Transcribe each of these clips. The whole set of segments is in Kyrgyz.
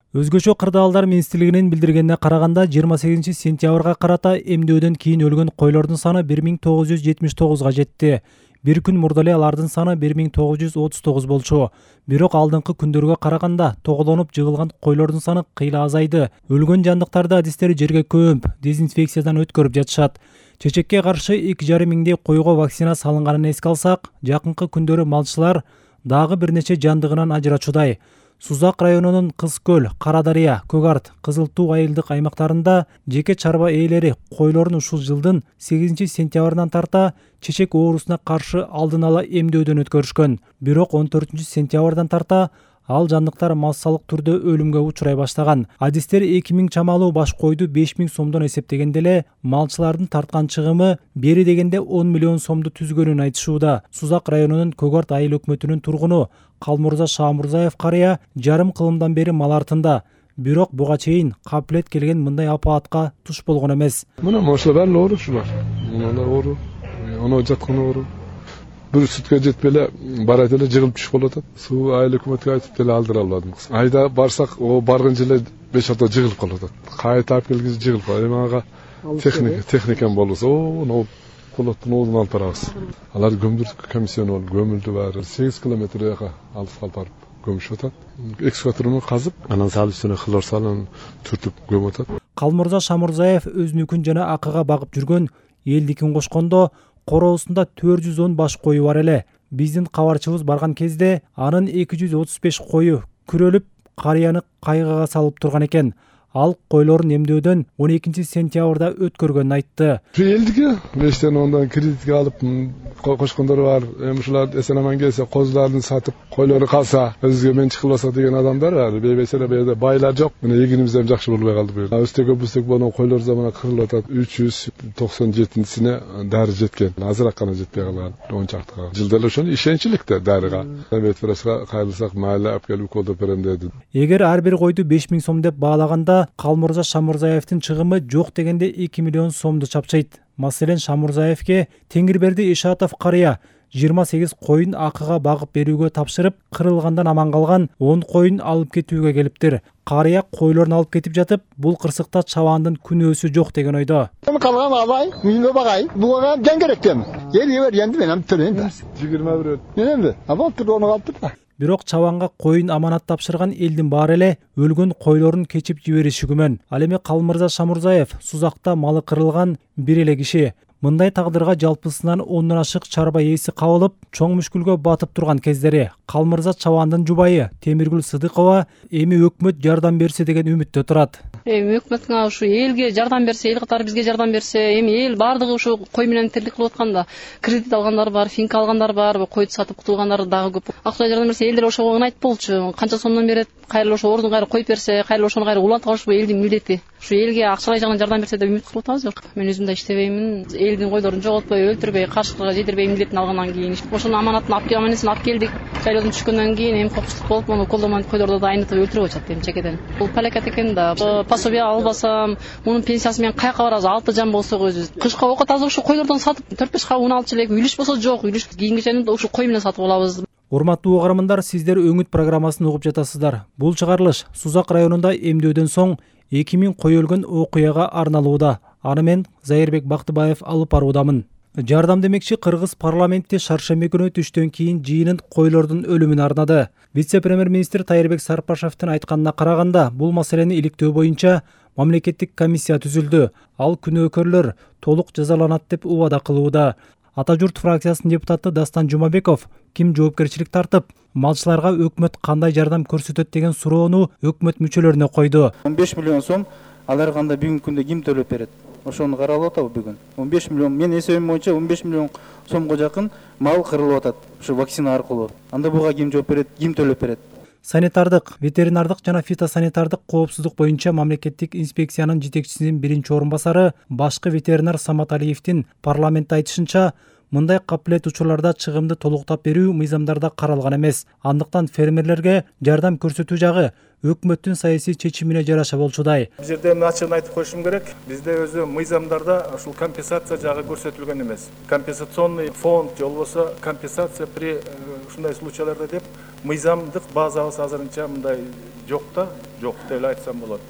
Өзгөчө кырдаалдар министрлигинин билдиргенине караганда 28 сентябрга карата эмдөөдөн кийин өлгөн койлордун саны 1979 жетти. Бир күн мурда эле алардын саны 1939 болчу. Бирок алдыңкы күндөргө караганда тоголонуп жыгылган койлордун саны кыйла азайды. Өлгөн жандыктарды адистери жерге көмүп, дезинфекциядан өткөрүп жатышат. Чечекке каршы 2,5 миңдей койго вакцина салынганын эске алсак, жакынкы күндөрү малчылар дагы бир нече жандыгынан ажырачудай. Сузак районунун Кыз көл, Кара Дарыя, Көк Арт, Кызыл Туу айылдык аймактарында жеке чарба ээлери койлорун ушул жылдын 8 сентябрынан тарта чечек оорусуна каршы алдын ала эмдөөдөн өткөрүшкөн. Бирок 14 сентябрдан тарта ал жандыктар массалык түрдө өлүмгө учурай баштаган. Адистер 2000 чамалуу баш койду 5000 сомдон эсептегенде эле малчылардын тарткан чыгымы бери дегенде 10 миллион сомду түзгөнүн айтышууда. Сузак районунун Көк Арт айыл өкмөтүнүн тургуну Калмурза Шамурзаев карыя жарым кылымдан бери мал артында. Бирок буга чейин капилет келген мындай апаатка туш болгон эмес. Мына ошолор баары оору ушулар. Муналар оору, ono жаткан оору. Бир сүткө жетпей эле барат эле жыгылып түшүп калып атат. Суу айыл өкмөткө айтып деле алдыра албадым. Айда барсак, о барган жылы 5 апта жыгылып калып атат. Кайта алып келгиз жыгылып калат. Эми ага техникам болбосо, о полоттун оозун алып барабыз. Алар көмдүрдүк, комиссия болуп көмүлдү баары. 8 километр жака алып барып көмүшүп атат. Экскаваторун казып, анан салып үстүнө хлор салып түртүп көмүп атат. Калмурза Шамурзаев өзүнүкүн жана акыга багып жүргөн элдикин кошкондо короосунда 410 баш кою бар эле. Биздин кабарчыбыз барган кезде анын 235 кою күрөлүп, карыяны кайгыга салып турган экен. Ал койлорун эмдөөдөн 12 сентябрда өткөргөнүн айтты. Элдике мештен ондан кредитке алып кошкондор бар. Эми ушулар эсен аман келсе, козуларын сатып, койлору калса, өзгө менчик кылбаса деген адамдар бар. Бейбеселе бейде байлар жок. Мына эгинибизден жакшы болбой калды бу эл. Өстөк боно койлор замана кырылып атат. 397-сине дары жеткен. Азыраак гана жетпей калган. 10 чакты. Жылда эле ошону ишенчиликте дарыга. Ветврашка кайрылсак, майла алып келип уколдо берем деди. Эгер ар бир койду 5000 сом деп баалаганда, Калмурза Шамурзаевдин чыгымы жок дегенде 2 миллион сомду чапчайт. Маселен, Шамурзаевке Теңирберди Ишатов карыя 28 коюн акыга багып берүүгө тапшырып, кырылгандан аман калган 10 коюн алып кетүүгө келиптир. Карыя койлорун алып кетип жатып, бул кырсыкта чабаандын күнөөсү жок деген ойдо. Калган албай, үйүнө багай. Буга жан керек дем. Эл енді мен ам төлөйм. 21. Эмне? Абал турганы калыптыр. Бирок чабанга коюн аманат тапшырган элдин баары эле өлгөн койлорун кечип жибериши күмөн. Ал эми Калмурза Шамурзаев Сузакта малы кырылган бир эле киши. Мындай тагдырга жалпысынан 10 ашык чарба ээси кабылып, чоң мүшкүлгө батып турган кездери. Калмурза чабаандын жубайы Темиргүл Сыдыкова эми өкмөт жардам берсе деген үмүттө турат. Эми өкмөттүн ушу элге жардам берсе, эл катары бизге жардам берсе, эми эл бардыгы ушу кой менен тирлик кылып атканда, кредит алгандар бар, финка алгандар бар, койду сатып кутулгандар дагы көп. Акча жардам берсе, элдер ошого ыңайт болчу. Канча сомдон берет, кайра ошо ордун кайра коюп берсе, кайра ошону кайра улантып алыш бу элдин милдети. Ушу элге акчалай жагынан жардам берсе деп үмүт кылып атабыз. Мен өзүм да иштебеймин. Элдин койдорун жоготпой, өлтүрбөй, кашкырга жедирбей милдетин алгандан кийин ошонун аманатын алып келдик. Жайлоодон түшкөндөн кийин эми кокустук болуп, муну колдомон койдорду да айнытып өлтүрүп атышат эми чекеден. Бул палакат экен да. Пособие албасам, мунун пенсиясы менен каяка барабыз? 6 жан болсок өзүбүз. Кышка окот азыр ушу койлордон сатып 4-5 кап un алчу элек. Үлүш болсо жок, үлүш кийинкичени да ушу кой менен сатып алабыз. Урматтуу угармандар, сиздер Өңүт программасын угуп жатасыздар. Бул чыгарылыш Сузак районунда эмдөөдөн соң 2000 кой өлгөн окуяга арналууда. Аны мен Зайырбек Бактыбаев алып баруудамын. Жардам демекчи Кыргыз парламентте шаршемби күнү түштөн кийин жыйынын койлордун өлүмүн арнады. Вице-премьер-министр Тайырбек Сарпашевдин айтканына караганда, бул маселени иликтөө боюнча мамлекеттик комиссия түзүлдү. Ал күнөөкөрлөр толук жазаланат деп убада кылууда. Ата журт фракциясынын депутаты Дастан Жумабеков ким жоопкерчилик тартып, малчыларга өкмөт кандай жардам көрсөтөт деген суроону өкмөт мүчөлөрүнө койду. 15 миллион сом алар кандай бүгүнкү күндө ким төлөп берет? Ошону каралып атабы бүгүн? 15 миллион, мен эсебим боюнча 15 миллион сомго жакын мал кырылып атат. Ушу вакцина аркылуу. Анда буга ким жооп берет, ким төлөп берет? Санитардык, ветеринардык жана фитосанитардык коопсуздук боюнча мамлекеттик инспекциянын жетекчисинин биринчи орун басары башкы ветеринар Самат Алиевдин парламентте айтышынча, мындай капилет учурларда чыгымды толуктап берүү мыйзамдарда каралган эмес. Андыктан фермерлерге жардам көрсөтүү жагы өкмөттүн саясий чечимине жараша болчудай. Бул жерде ачыгын айтып коюшум керек. Бизде өзү мыйзамдарда ушул компенсация жагы көрсөтүлгөн эмес. Компенсационный фонд же болбосо компенсация при ушундай случайларда деп мыйзамдык базабыз азырынча мындай жок деп эле айтсам болот.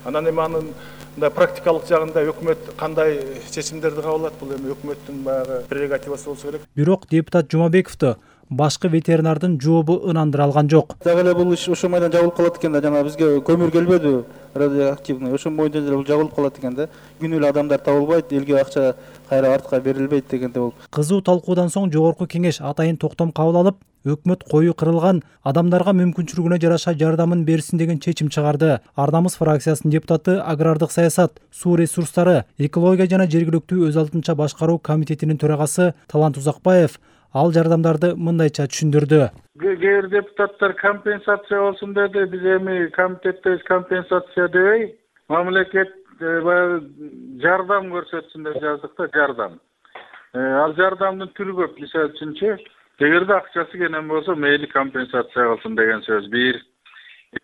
Анан эми анын мындай практикалык жагында өкмөт кандай чечимдерди кабыл алат, бул эми өкмөттүн баягы прерогативасы болсо керек. Бирок депутат Жумабековду башкы ветеринардын жообу ынандыра алган жок. Дагы эле бул иш ошо майдан жабылып калат экен да, жана бизге көмүр келбеди радиоактивный. Ошо боюнча деле бул жабылып калат экен да. Күнү эле адамдар табылбайт, элге акча кайра артка берилбейт дегенде бул. Кызуу талкуудан соң жогорку кеңеш атайын токтом кабыл алып, өкмөт кою кырылган адамдарга мүмкүнчүлүгүнө жараша жардамын берсин деген чечим чыгарды. Ардамыз фракциясынын депутаты агрардык саясат, суу ресурстары, экология жана жергиликтүү өз алдынча башкаруу комитетинин төрагасы Талант Узакбаев ал жардамдарды мындайча түшүндүрдү. Кээ бир депутаттар компенсация болсун деди. Биз эми комитетте компенсация дебей, мамлекет баягы жардам көрсөтсүн деп жаздык да, жардам. Ал жардамдын түрү көп. Мисалы үчүнчү, эгерде акчасы кенен болсо, мейли компенсация кылсын деген сөз. Бир.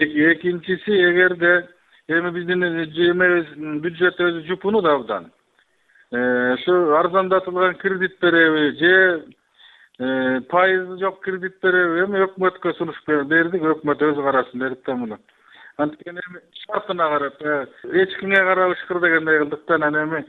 Экинчиси, эгерде эми биздин бюджет өзү жупунут абдан. Ошо арзандатылган кредит береби же пайызы жок кредит береби, эми өкмөткө сунуш бердик, өкмөт өзү карасын дедик да муну. Анткени эми шартына карап, эч кимге карабышкыр дегендей кылдык да, анан эми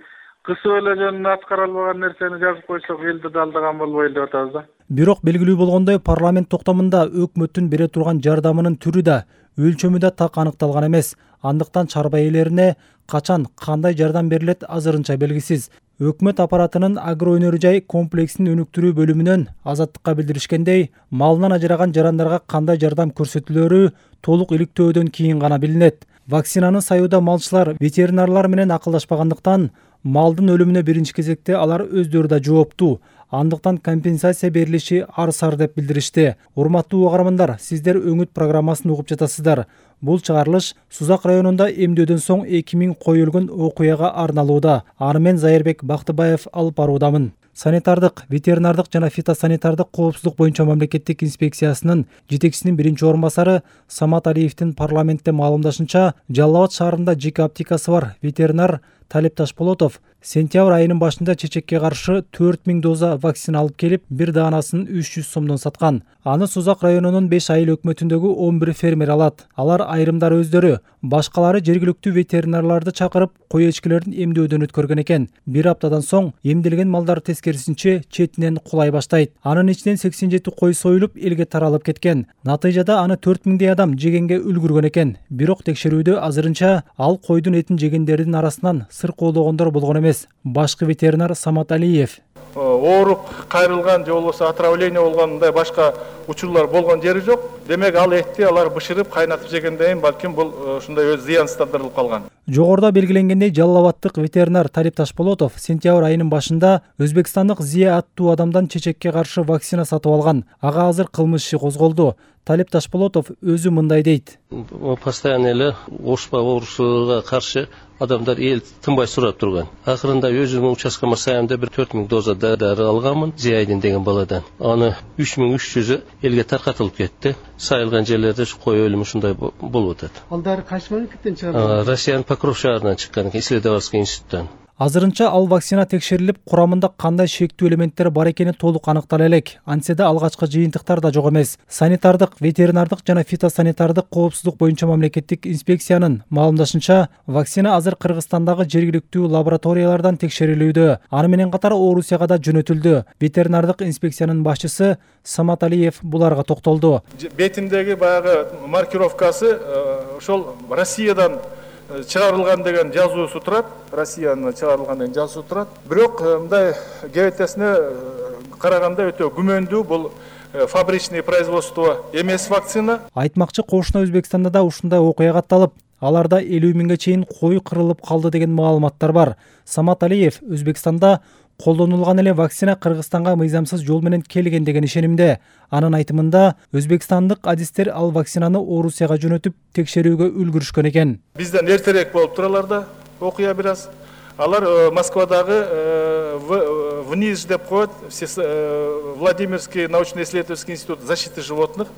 кысып эле жөнүнө аткара албаган нерсени жазып койсок элди да алдаган болбойлу деп атабыз да. Бирок белгилүү болгондой, парламент токтомунда өкмөттүн бере турган жардамынын түрү да, өлчөмү да так аныкталган эмес. Андыктан чарба ээлерине качан кандай жардам берилет азырынча белгисиз. Өкмөт аппаратынын агроөнөрү жай комплексин өнүктүрүү бөлүмүнөн Азаттыкка билдиришкендей, малынан ажыраган жарандарга кандай жардам көрсөтүлөрү толук иликтөөдөн кийин гана билинет. Вакцинаны саюуда малчылар ветеринарлар менен акылдашпагандыктан малдын өлүмүнө биринчи кезекте алар өздөрү да жооптуу. Андыктан компенсация берилиши арсар деп билдиришти. Урматтуу угармандар, сиздер Өңүт программасын угуп жатасыздар. Бул чыгарылыш Сузак районунда эмдөөдөн соң 2000 кой өлгөн окуяга арналууда. Аны мен Зайырбек Бактыбаев алып баруудамын. Санитардык, ветеринардык жана фитосанитардык коопсуздук боюнча мамлекеттик инспекциясынын жетекчисинин биринчи орун басары Самат Алиевдин парламентте маалымдашынча, Жалал Абад шаарында жеке аптекасы бар ветеринар Талип Ташполотов сентябрь айынын башында чечекке каршы 4000 доза вакцина алып келип, бир даанасын 300 сомдон саткан. Аны Сузак районунун 5 айыл өкмөтүндөгү 11 фермер алат. Алар айрымдары өздөрү, башкалары жергиликтүү ветеринарларды чакырып, кой эчкилерин эмдөөдөн өткөргөн экен. Бир аптадан соң эмделген малдар тескерисинче четинен кулай баштайт. Анын ичинен 87 кой союлуп, элге таралып кеткен. Натыйжада аны 4000 адам жегенге үлгүргөн экен. Бирок текшерүүдө азырынча ал койдун этин жегендердин арасынан сыркоологондор болгон эмес. Башкы ветеринар Самат Алиев: Ооруп кайрылган же болбосо отравление болгон мындай башка учурлар болгон жери жок. Демек ал этти алар бышырып кайнатып жегенден кийин балким бул ушундай өз зыянсыздандырылып калган. Жогоруда белгиленгендей, Жалал Абадтык ветеринар Талип Ташполотов сентябрь айынын башында Өзбекстандык Зия аттуу адамдан чечекке каршы вакцина сатып алган. Ага азыр кылмыш иши козголду. Талип Ташполотов өзү мындай дейт: Постоянно эле ошпа оорусуга каршы адамдар эл тынбай сурап турган. Акырында өзүмдүн участкама сайымда бир 4000 доза дары алганмын Зияйдин деген баладан. Аны 3300 элге таркатылып кетти. Сайылган жерлерде кой өлүмү ушундай болуп атат. Ал дары кайсы мамлекеттен чыгарылган? Россиянын Покров шаарынан чыккан экен, исследовательский институттан. Азырынча ал вакцина текшерилип, курамында кандай шектүү элементтер бар экени толук аныктала элек. Антсе да алгачкы жыйынтыктар да жок эмес. Санитардык, ветеринардык жана фитосанитардык коопсуздук боюнча мамлекеттик инспекциянын маалымдашынча, вакцина азыр Кыргызстандагы жергиликтүү лабораториялардан текшерилүүдө. Аны менен катар Орусияга да жөнөтүлдү. Ветеринардык инспекциянын башчысы Самат Алиев буларга токтолду. Бетиндеги баягы маркировкасы ошол Россиядан чыгарылган деген жазуусу турат, Россиянын чыгарылган деген жазуусу турат. Бирок мындай ГВТсине караганда өтө күмөндүү, бул фабричный производство эмес вакцина. Айтмакчы, кошуна Өзбекстанда да ушундай окуя катталып, аларда 50 миңге чейин кой кырылып калды деген маалыматтар бар. Самат Алиев Өзбекстанда колдонулган эле вакцина Кыргызстанга мыйзамсыз жол менен келген деген ишенимде. Анын айтымында, өзбекстандык адистер ал вакцинаны Орусияга жөнөтүп, текшерүүгө үлгүрүшкөн экен. Бизден эртерээк болуп туралар да окуя бир аз. Алар Москвадагы ВНИЖ деп коет, Владимирский научно-исследовательский институт защиты животных.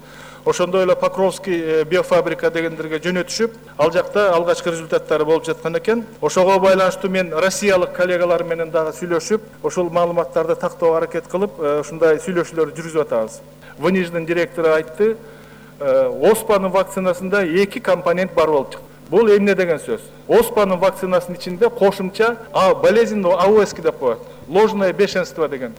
Ошондой эле Покровский биофабрика дегендерге жөнөтүшүп, ал жакта алгачкы результаттары болуп жаткан экен. Ошого байланыштуу мен россиялык коллегалар менен дагы сүйлөшүп, ошол маалыматтарды тактоого аракет кылып, ушундай сүйлөшүүлөрдү жүргүзүп атабыз. ВНИЖдин директору айтты, оспанын вакцинасында 2 компонент бар болуп чыкты. Бул эмне деген сөз? Оспанын вакцинасынын ичинде кошумча болезнь АОС деп коет. Ложное бешенство деген.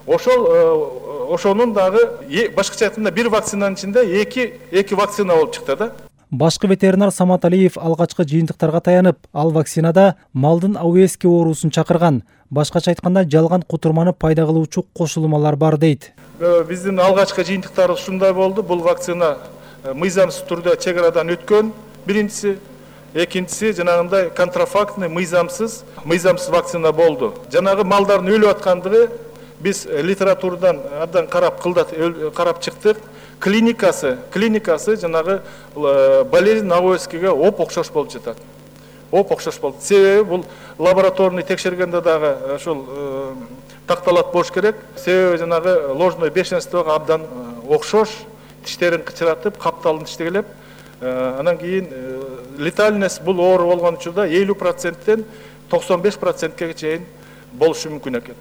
Ошонун дагы башкача айтканда бир вакцинанын ичинде 2 вакцина болуп чыкты да. Башкы ветеринар Самат Алиев алгачкы жыйынтыктарга таянып, ал вакцинада малдын АОС оорусун чакырган, башкача айтканда жалган кутурманы пайда кылуучу кошулмалар бар дейт. Биздин алгачкы жыйынтыктарыбыз ушундай болду. Бул вакцина мыйзамсыз түрдө чек арадан өткөн, биринчиси. Экинчиси жанагындай контрафактный мыйзамсыз вакцина болду. Жанагы малдардын өлүп аткандыгы биз литературадан абдан карап чыктык. Клиникасы жанагы болезнь АОС-ге окшош болуп жатат. Окшош болду. Себеби бул лабораторный текшергенде дагы ошол такталат болуш керек. Себеби жанагы ложное бешенствого абдан окшош, тиштерин кычыратып, капталын тиштегелеп, анан кийин летальность бул оору болгон учурда 50%тен 95%ге чейин болушу мүмкүн экен.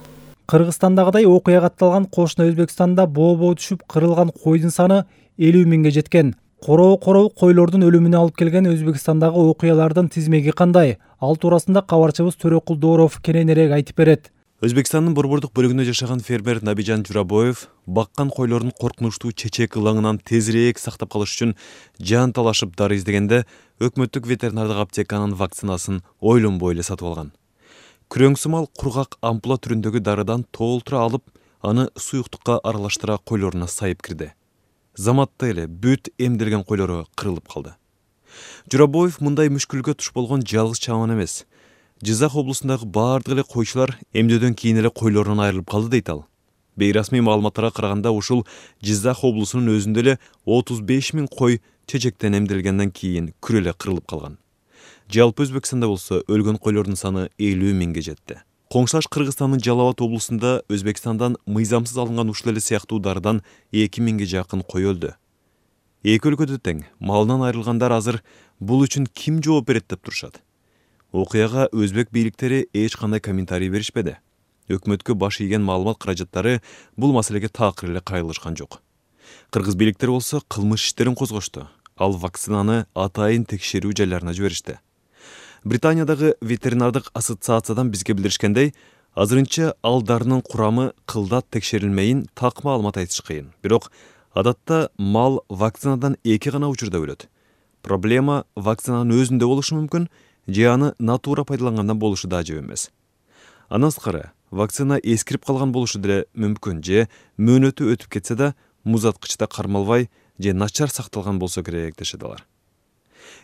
Кыргызстандагыдай окуя катталган кошуна Өзбекстанда боо түшүп кырылган койдун саны 50 миңге жеткен. Короо койлордун өлүмүнө алып келген Өзбекстандагы окуялардын тизмеги кандай? Ал туурасында кабарчыбыз Төрөкул Дооров кененирээк айтып берет. Өзбекстандын борбордук бөлүгүндө жашаган фермер Набижан Журабоев баккан койлордун коркунучтуу чечек ылаңынан тезирээк сактап калыш үчүн жан талашып дары издегенде өкмөттүк ветеринардык аптеканын вакцинасын ойлонбой эле сатып алган. Күрөңсүмал кургак ампула түрүндөгү дарыдан толтура алып, аны суюктукка аралаштыра койлоруна сайып кирди. Заматта эле бүт эмделген койлору кырылып калды. Журабоев мындай мүшкүлгө туш болгон жалгыз чаман эмес. Жизак облусундагы баардык эле койчулар эмдөөдөн кийин эле койлорунан айрылып калды дейт ал. Бейрасмий маалыматтарга караганда ушул Жизак облусунун өзүндө эле 35 миң кой чечектен эмделгенден кийин күрө эле кырылып калган. Жалпы Өзбекстанда болсо өлгөн койлордун саны 50 миңге жетти. Коңшаш Кыргызстандын Жалал-Абад облусунда Өзбекстандан мыйзамсыз алынган ушул эле сыяктуу дарыдан 2 миңге жакын кой өлдү. Эки өлкөдө тең малынан айрылгандар азыр бул үчүн ким жооп берет деп турушат. Окуяга өзбек бийликтери эч кандай комментарий беришпеди. Өкмөткө баш ийген маалымат каражаттары бул маселеге такыр эле кайрылышкан жок. Кыргыз бийликтери болсо кылмыш иштерин козгошту. Ал вакцинаны атайын текшерүү жайларына жиберишти. Британиядагы ветеринардык ассоциациядан бизге билдиришкендей, азырынча ал дарынын курамы кылдат текшерилмейин так маалымат айтыш кыйын. Бирок адатта мал вакцинадан 2 гана учурда өлөт. Проблема вакцинанын өзүндө болушу мүмкүн, же аны натура пайдалангандан болушу да ажып эмес. Андан сырткары, вакцина эскирип калган болушу деле мүмкүн, же мөөнөтү өтүп кетсе да музаткычта кармалбай же начар сакталган болсо керек дешет алар.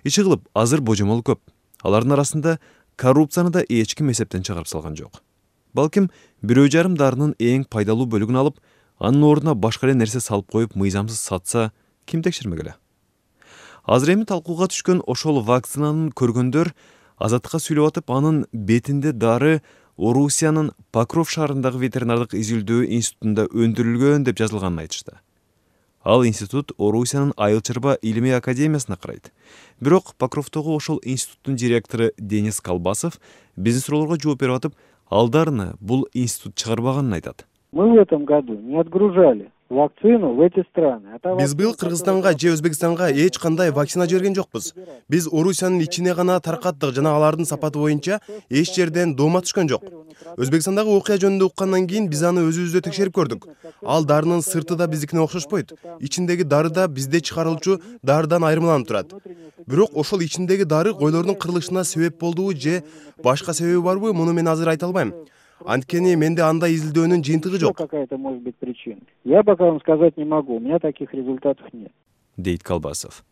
Иши кылып азыр божомол көп. Алардын арасында коррупцияны да эч ким эсептен чыгарып салган жок. Балким 1,5 дарынын эң пайдалуу бөлүгүн алып, анын ордуна башка эле нерсе салып коюп мыйзамсыз сатса, ким текшермек эле? Азыр эми талкууга түшкөн ошол вакцинанын көргөндөр Азаттыкка сүйлөп атып, анын бетинде дары Орусиянын Покров шаарындагы ветеринардык изилдөө институтунда өндүрүлгөн деп жазылганын айтышты. Ал институт Орусиянын Айыл-чарба илимий академиясына карайт. Бирок Покровдогу ошол институттун директору Денис Колбасов биздин суроолорго жооп берип атып, алдарына бул институт чыгарбаганын айтат. Мы в этом году не отгружали вакцину в эти страны. Биз быйыл Кыргызстанга же Өзбекстанга эч кандай вакцина жиберген жокпуз. Биз Орусиянын ичине гана таркаттык жана алардын сапаты боюнча эч жерден доoma түшкөн жок. Өзбекстандагы окуя жөнүндө уккандан кийин биз аны өзүбүздө текшерип көрдүк. Ал дарынын сырты да биздикине окшошпойт. Ичиндеги дары да бизде чыгарылчу дарыдан айырмаланып турат. Бирок ошол ичиндеги дары койлордун кырылышына себеп болдубу же башка себеби барбы, муну мен азыр айта албайм. Анткени менде андай изилдөөнүн жыйынтыгы жок. Какая-то может быть причина. Я пока вам сказать не могу. У меня таких результатов нет. Дейт Колбасов.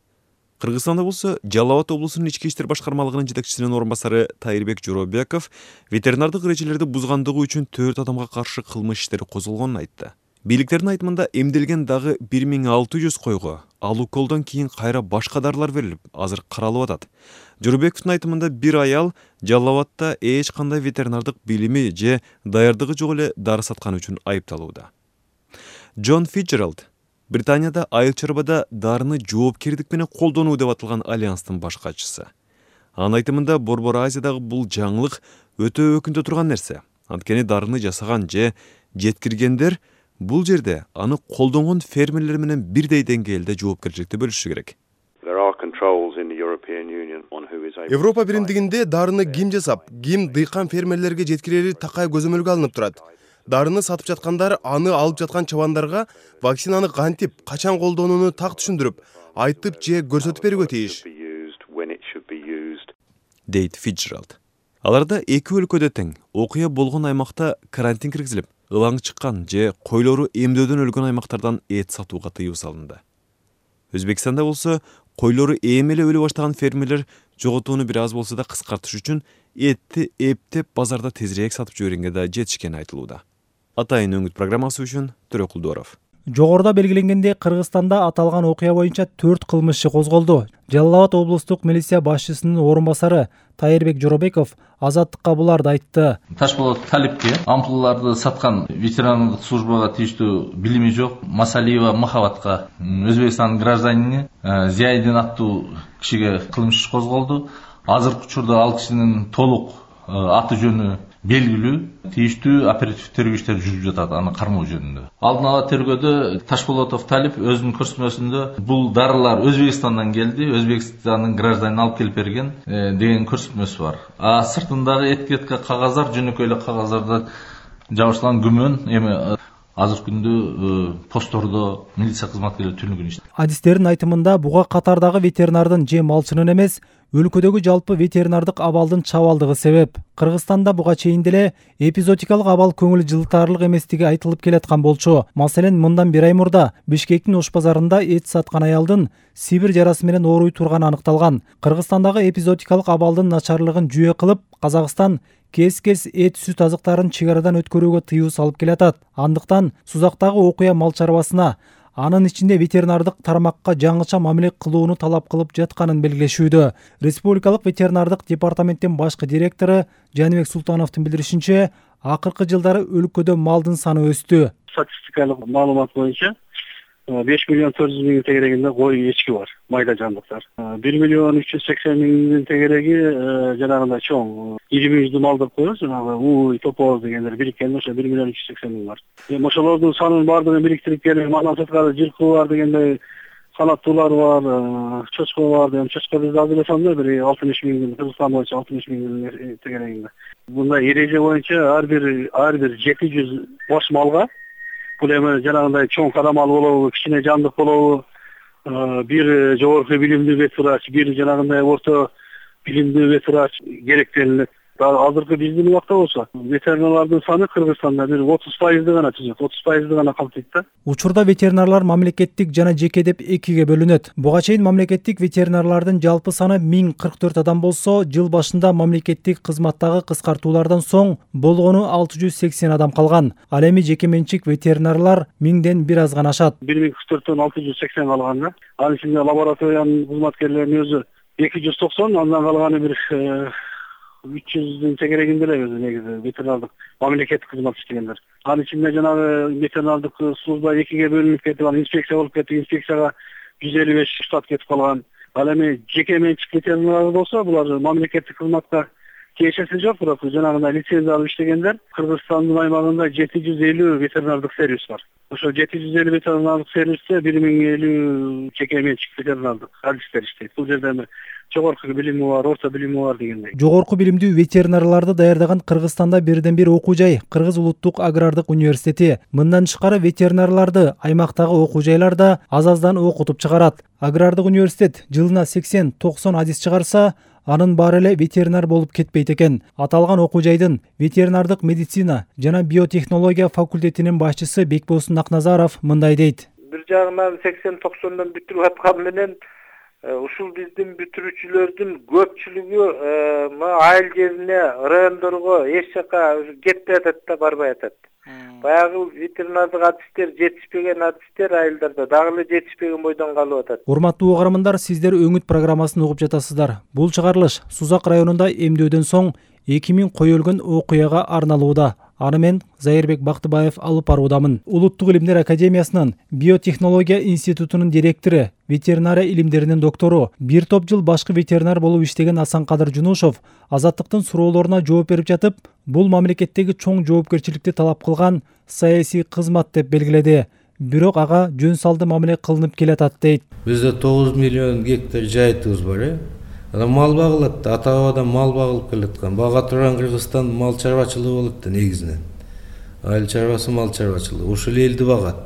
Кыргызстанда болсо Жалал-Абад облусунун ички иштер башкармалыгынын жетекчисинин орун басары Тайырбек Жоробеков ветеринардык эрежелерди бузгандыгы үчүн 4 адамга каршы кылмыш иштери козголгонун айтты. Бийликтердин айтымында эмделген дагы 1600 койго ал уколдон кийин кайра башка дарылар берилип, азыр каралып атат. Жорубековдун айтымында бир аял Жалал Абадта эч кандай ветеринардык билими же даярдыгы жок эле дары саткан үчүн айыпталууда. Джон Фитчеральд Британияда айыл чарбада дарыны жоопкердик менен колдонуу деп аталган альянстын баш катчысы. Анын айтымында Борбор Азиядагы бул жаңылык өтө өкүндө турган нерсе. Анткени дарыны жасаган же жеткиргендер бул жерде аны колдонгон фермерлер менен бирдей деңгээлде жоопкерчиликти бөлүшүшү керек. Европа биримдигинде дарыны ким жасап, ким дыйкан фермерлерге жеткирери такай көзөмөлгө алынып турат. Дарыны сатып жаткандар аны алып жаткан чабандарга вакцинаны кантип, качан колдонууну так түшүндүрүп, айтып же көрсөтүп берүүгө тийиш, дейт Фитчеральд. Аларда эки өлкөдө тең окуя болгон аймакта карантин киргизилип, ылаң чыккан же койлору эмдөөдөн өлгөн аймактардан эт сатууга тыюу салынды. Өзбекстанда болсо койлору эми эле өлө баштаган фермерлер жоготууну бир аз болсо да кыскартыш үчүн этти эптеп базарда тезирээк сатып жибергенге да жетишкени айтылууда. Атайын өңүт программасы үчүн Төрө Кулдуаров. Жогоруда белгиленгендей, Кыргызстанда аталган окуя боюнча 4 кылмыш иши козголду. Жалал Абад облустук милиция башчысынын орун басары Тайырбек Жоробеков Азаттыкка буларды айтты. Ташболот Талипке ампулаларды саткан ветеринардык службага тийиштүү билими жок Масалиева Махабатка Өзбекстандын гражданини Зияйдин аттуу кишиге кылмыш иш козголду. Азыркы учурда ал кишинин толук аты жөнү белгилүү, тийиштүү оперативдик тергөө иштери жүрүп жатат аны кармоо жөнүндө. Алдын ала тергөөдө Ташболотов Талип өзүнүн көрсөтмөсүндө бул дарылар Өзбекстандан келди, Өзбекстандын гражданин алып келип берген деген көрсөтмөсү бар. А сыртындагы этикетка кагаздар жөнөкөй эле кагаздарда жабышкан күмөн эми азыркы күндө посттордо милиция кызматкерлери түнүгүн иштейт. Адистердин айтымында буга катардагы ветеринардын же малчынын эмес, өлкөдөгү жалпы ветеринардык абалдын чабалдыгы себеп. Кыргызстанда буга чейин деле эпизодикалык абал көңүл жылтаарлык эместиги айтылып келаткан болчу. Маселен, мындан 1 ай мурда Бишкектин Ош базарында эт саткан аялдын Сибир жарасы менен ооруй турганы аныкталган. Кыргызстандагы эпизодикалык абалдын начарлыгын жүйө кылып, Казакстан кес-кес эт сүт азыктарын чек арадан өткөрүүгө тыюу салып келатат. Андыктан Сузактагы окуя мал чарбасына, анын ичинде ветеринардык тармакка жаңыча мамиле кылууну талап кылып жатканын белгилешүүдө. Республикалык ветеринардык департаменттин башкы директору Жаныбек Султановдун билдиришинче, акыркы жылдары өлкөдө малдын саны өстү. Статистикалык маалымат боюнча 5 миллион 400 миң тегерегинде кой эчки бар, майда жандыктар. 1 миллион 380 миңдин тегереги жанагындай чоң ири мүйүздүү малдар коебуз, жанагы уй, топоз дегендер бириккенде ошо 1 миллион 380 миң бар. Ошолордун санын баардыгын бириктирип келип, андан сырткары жылкы бар дегендей санаттуулар бар, чочко бар деген. Чочко бизде аз эле санда, бир 60 миң, Кыргызстан боюнча 60 миң тегерегинде. Мындай эреже боюнча ар бир 700 бош малга, бул эми жанагындай чоң кара мал болобу, кичине жандык болобу, бир жогорку билимдүү вет врач, бир жанагындай орто билимдүү вет врач керектелет. Азыркы биздин убакта болсо ветеринарлардын саны Кыргызстанда бир 30% гана түзөт, 30% гана камтыйт да. Учурда ветеринарлар мамлекеттик жана жеке деп экиге бөлүнөт. Буга чейин мамлекеттик ветеринарлардын жалпы саны 1044 адам болсо, жыл башында мамлекеттик кызматтагы кыскартуулардан соң болгону 680 адам калган. Ал эми жеке менчик ветеринарлар 1000ден бир аз гана ашат. 1044дөн 680 калган да. Анын ичинде лабораториянын кызматкерлеринин өзү 290, андан калганы бир 300 тегерегинде эле өзү негизи ветеринардык мамлекеттик кызмат иштегендер. Анын ичинде жанагы ветеринардык служба экиге бөлүнүп кетип, анан инспекция болуп кетти, инспекцияга 155 штат кетип калган. Ал эми жеке менчик ветеринарлар болсо, булар мамлекеттик кызматка тиешеси жок, бирок жанагындай лицензия алып иштегендер. Кыргызстандын аймагында 750 ветеринардык сервис бар. Ошо 750 ветеринардык сервисте 1050 жеке менчик ветеринардык адистер иштейт. Бул жерде эми жогорку билими бар, орто билими бар дегендей. Жогорку билимдүү ветеринарларды даярдаган Кыргызстанда бирден бир окуу жай Кыргыз улуттук агрардык университети. Мындан тышкары ветеринарларды аймактагы окуу жайларда аз-аздан окутуп чыгарат. Агрардык университет жылына 80-90 адис чыгарса, анын баары эле ветеринар болуп кетпейт экен. Аталган окуу жайдын ветеринардык медицина жана биотехнология факультетинин башчысы Бекболсун Акназаров мындай дейт. Бир жагынан 80-90дан бүтүрүп аткан менен ушул биздин бүтүрүүчүлөрдүн көпчүлүгү айыл жерине, райондорго эч жака кетпей атат да, барбай атат. Баягы ветеринардык адистер жетишпеген адистер айылдарда дагы эле жетишпеген бойдон калып атат. Урматтуу угармандар, сиздер Өңүт программасын угуп жатасыздар. Бул чыгарылыш Сузак районунда эмдөөдөн соң 2000 кой өлгөн окуяга арналууда. Аны мен Зайырбек Бактыбаев алып баруудамын. Улуттук илимдер академиясынын биотехнология институтунун директору, ветеринария илимдеринин доктору, бир топ жыл башкы ветеринар болуп иштеген Асанкадыр Жунушов Азаттыктын суроолоруна жооп берип жатып, бул мамлекеттеги чоң жоопкерчиликти талап кылган саясий кызмат деп белгиледи. Бирок ага жөн салды мамиле кылынып келатат дейт. Бизде 9 миллион гектар жайтыбыз бар. Мал багылат, ата-бабадан мал багылып келаткан. Бага турган Кыргызстан мал чарбачылыгы болот да негизинен. Айыл чарбасы мал чарбачылыгы. Ушул элди багат.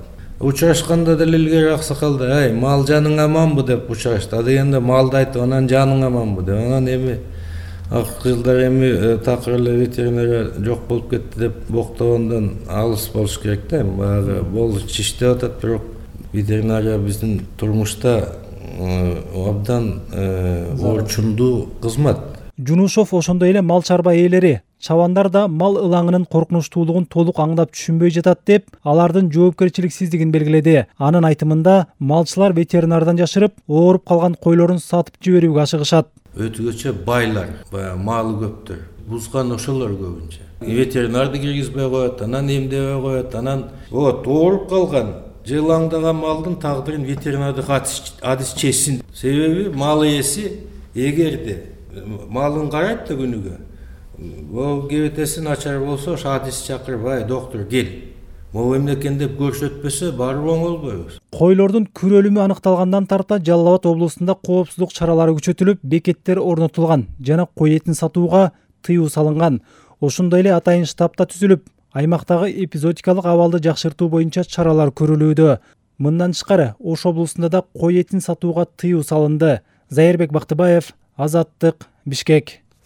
Учурашканда деле илгери аксакалда, "Ай, мал жаның аманбы?" деп учурашты. А дегенде малды айтып, "Анан жаның аманбы?" деп. Анан эми акыркы жылдары эми такыр эле ветеринария жок болуп кетти деп боктогондон алыс болуш керек да. Баягы болуш иштеп атат, бирок ветеринария биздин турмушта абдан орчундуу кызмат. Жунушов ошондой эле мал чарба ээлери, чабандар да мал ылаңынын коркунучтуулугун толук аңдап түшүнбөй жатат деп, алардын жоопкерчиликсиздигин белгиледи. Анын айтымында, малчылар ветеринардан жашырып, ооруп калган койлорун сатып жиберүүгө ашыгышат. Өтүгөчө байлар, баягы малы көптөр, бузган ошолор көбүнчө. Ветеринарды киргизбей коет, анан эмдебей коет, анан ооруп калган жылаңдаган малдын тагдырын ветеринардык адис чечсин. Себеби мал ээси эгерде малын карайт да күнүгө, могу кебетеси начар болсо, ошо адис чакырып, "Ай, доктор, кел. Могу эмне экен" деп көрсөтпөсө, барып оңолбойбуз. Койлордун күр өлүмү аныкталгандан тарта Жалал Абад облусунда коопсуздук чаралары күчөтүлүп, бекеттер орнотулган жана кой этин сатууга тыюу салынган. Ошондой эле атайын штаб да түзүлүп, аймактагы эпизодикалык абалды жакшыртуу боюнча чаралар көрүлүүдө. Мындан тышкары, Ош облусунда да кой этин сатууга тыюу салынды. Зайырбек Бактыбаев, Азаттык, Бишкек.